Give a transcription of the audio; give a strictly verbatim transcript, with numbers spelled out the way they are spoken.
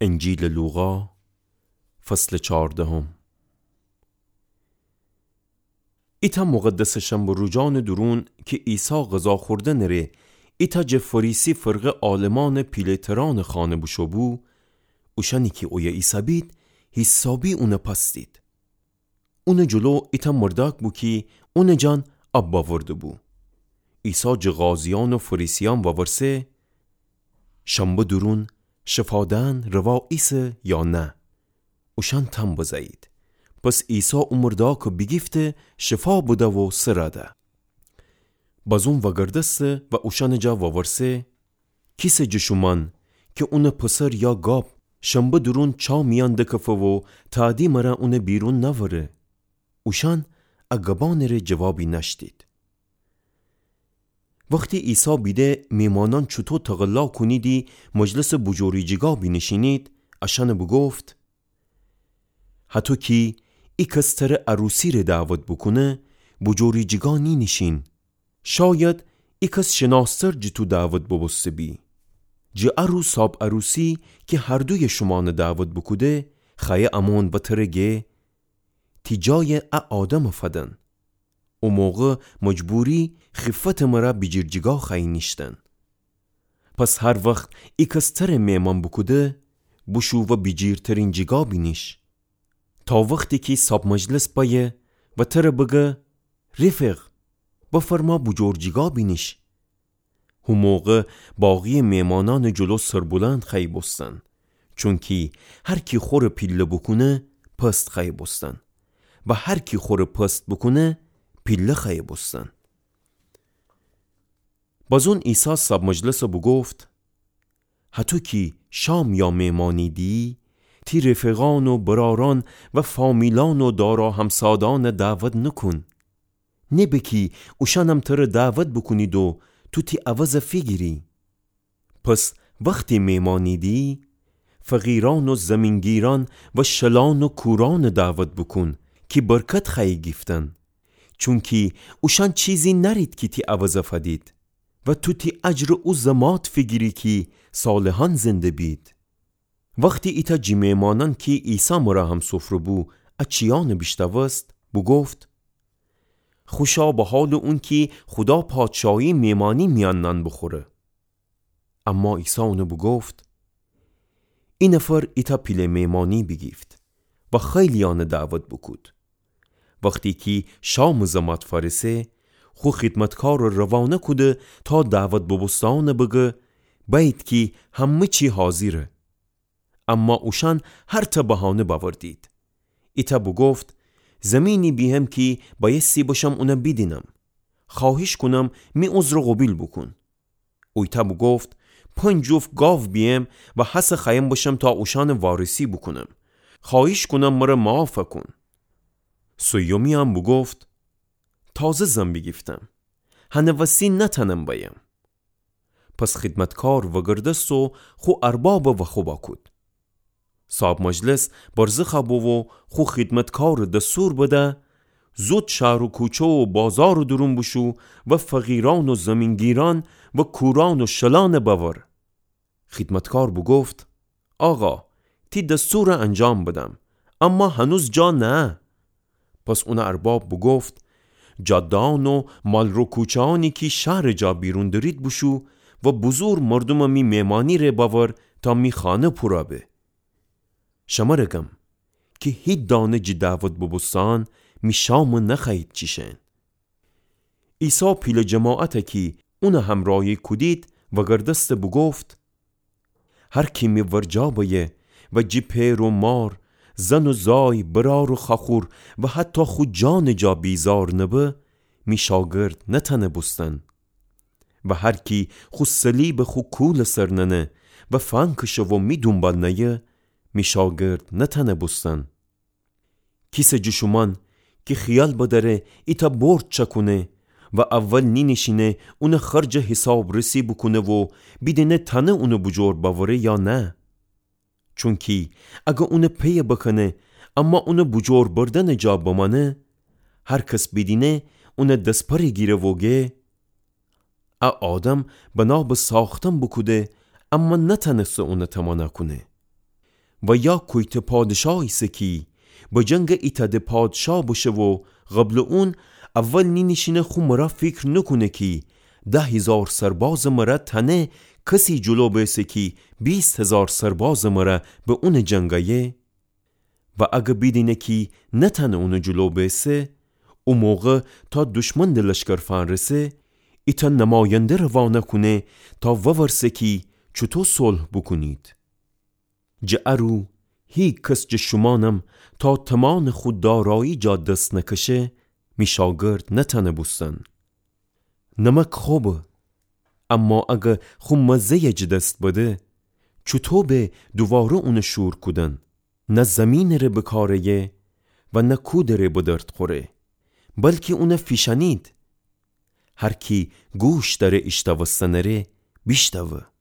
انجیلٚ لوقا، فصلٚ چاردهم. ایتأ مقدسٚ شنبه روجانٚ دورون کی عیسی غذا خوردنٚ ره ایتأ جٚه فریسی فرقه عالمأنٚ پیله‌ترأنٚ خانه بوشو بو، اوشأنی کی اویه ایسه‌بید، حیسابی اونَ پاستید. اونٚ جلو ایتأ مردأک بو کی اونٚ جان اب بأورده بو. عیسی جٚه قاضیأن و فریسیأن وورسه: شنبه دورون شفا دئن روا ایسه یا نه؟ اوشأن تمب بزه‌یید. پس عیسی او مردأکَ بیگیفته شفا بده و سرَ ده. بازون وأگردسته و اوشأنٚ جا وورسه: کیسه جٚه شومأن کی اونٚ پسر یا گاب شنبه دورون چا میأن دکفه و تأدی مره اونَ بیرون نأوره؟ اوشأن ا گبأنٚ ره جوابی نأشتید. وختی عیسی بیده میمانأن چوطو تقلا کونیدی مجلسٚ بوجوریجیگا بینیشینید، اشأنَ بوگفت: هطو کی ایکس تره عروسی ره دعوت بوکونه، بوجوریجیگا نینیشین. شاید ایکس شناس‌تر جٚه تو دعوت بوبوسته بی. جٚه ا رو صاب عروسی کی هر دویٚ شومأنَ دعوت بوکوده، خوأیه امون و تره گه: تی جایَ ا آدمَ فدن. او موقع مجبوری خیفتٚ مره بیجیرجیگا خوأیی نیشتن. پس هر وخت ایکس تره میمأن بوکوده، بوشو و بیجیرترین جیگا بینیش. تا وختی کی صاب مجلس بأیه و تره بگه: رفیق، بفرما بوجور جیگا بینیش. هو موقع باقی‌یٚ میمانأنٚ جلو سربلند خوأیی بوستن. چونکی هر کی خوره پیله بوکونه، پست خوأیی بوستن. و هر کی خوره پست بوکونه، پیله خوأیی بوستن. بازون عیسی صاب مجلسَ بوگفت: هطو کی شام یا میمأنی دیی، تی رفیقأن و برأرأن و فامیلأن و دارا همسادأنَ دعوت نوکون. نبه کی اوشأنم تره دعوت بوکونید و تو تی عوضَ فیگیری. پس وختی میمأنی دیی، فقیرأن و زیمین‌گیرأن و شلأن و کورأنَ دعوت بوکون کی برکت خوأیی گیفتن. چونکی اوشأن چیزی نأرید کی تی عوضَ فدید و تو تی اجرَ او زمات فیگیری کی صالحأن زنده بید. وختی ایتأ جٚه میمانأن کی عیسی مره همسفره بو، ا چیأنَ بیشنوست، بوگفت: خوشا به حالٚ اون کی خودا پادشاهی میمأنی میأن نان بوخوره. اما عیسی اونَ بوگفت: ای نفر ایتأ پیله میمأنی بیگیفت و خیلی‌یأنَ دعوت بوکود. وختی کی شامٚ زمات فأرسه، خو خیدمتکارَ روانه کوده تا دعوت بوبوسته‌یأنَ بگه: بأیید کی همه چی حاضره. اما اوشأن هرتأ بهانه بأوردید. ایتأ بوگفت: زیمینی بیهم کی بأیستی بشم اونَ بیدینم. خوأهیش کونم می عذرَ قوبیل بوکون. اویتأ بوگفت: پنج جفت گاو بیهم و هسه خوأیم بشم تا اوشأنَ وارثی بوکونم. خوأهیش کونم مره معاف کون. سیومی هم بوگفت: تازه زن بیگیفتم. هنٚ وستی نتأنم بأیم. پس خیدمتکار وأگردست و خو اربابَ وأخوبا کود. صاب مجلس برزخَ بو و خو خیدمتکارَ دستور بده: زود شهر و کوچه و بازارٚ دورون بوشو و فقیرأن و زیمین‌گیرأن و کورأن و شلأنَ بأور. خیدمتکار بوگفت: آقا، تی دستورَ انجام بدم، اما هنوز جا نهه. پس اونٚ ارباب بوگفت: جاده‌یأن و مالرو کوچه‌یأنی کی شهرٚ جا بیرون دأرید بوشو و بزور مردومَ می میمأنی ره بأور تا می خانه پورَ به. شمره گم کی هیچ دانه جٚه دعوت بوبوسته‌یأن می شامَ نخوأیید چیشن. عیسی پیله جماعتَ کی اونَ همرأیی کودید وأگردسته بوگفت: هر کی می ورجه بأیه و جٚه پئر و مار، زن و زای، برأر و خوأخور و حتی خو جانٚ جا بیزار نبه، می شاگرد نتأنه بوستن. و هر کی خو صلیبَ خو کولٚ سر ننه و فنکشه و می دونبال نأیه، می شاگرد نتأنه بوستن. کیسه جٚه شومأن کی خیال بدأره ایتأ برج چأکونه و اول نینیشینه اونٚ خرجٚ حیسابرسی بوکونه و بیدینه تأنه اونٚ بوجور بأوره یا نه؟ چونکی اگر اونٚ پیَ بکنه، اما اونٚ بوجور بردنٚ جا بمأنه، هر کس بیدینه اونٚ دسپره گیره و گه: ا آدم بنا به ساختن بوکوده، اما نتأنسته اونَ تمنا کونه. و یا کویتٚ پادشا ایسه کی به جنگٚ ایتأ ده پادشا بشه و قبلٚ اون اول نینیشینه خو مرا فیکر نوکونه کی ده هیزار سربازٚ مره تأنه کسی جلو بیسه کی بیست هیزار سربازٚ مره به اونٚ جنگ ایه؟ و اگه بیدینه کی نتأنه اونٚ جلو بیسه، او موقع تا دشمن ده لشکر فأنرسه، ایتأ نماینده روانه کونه تا وورسه کی چوطو صلح بوکونید. جٚه ا رو هیکس جٚه شومأنم تا تومانٚ خو دارایی جا دس نکشه، می شاگرد نتأنه بوستن. نمک خوبه، اما اگه خو مزه‌یه جٚه دس بده، چوطو به دوواره اونٚ شور کودن؟ نه زیمینٚ ره بکاره‌یه و نه کودٚ ره به درد خوره، بلکی اونه فیشأنید. هر کی گوش دأره ایشتوستنٚ ره، بیشتوه.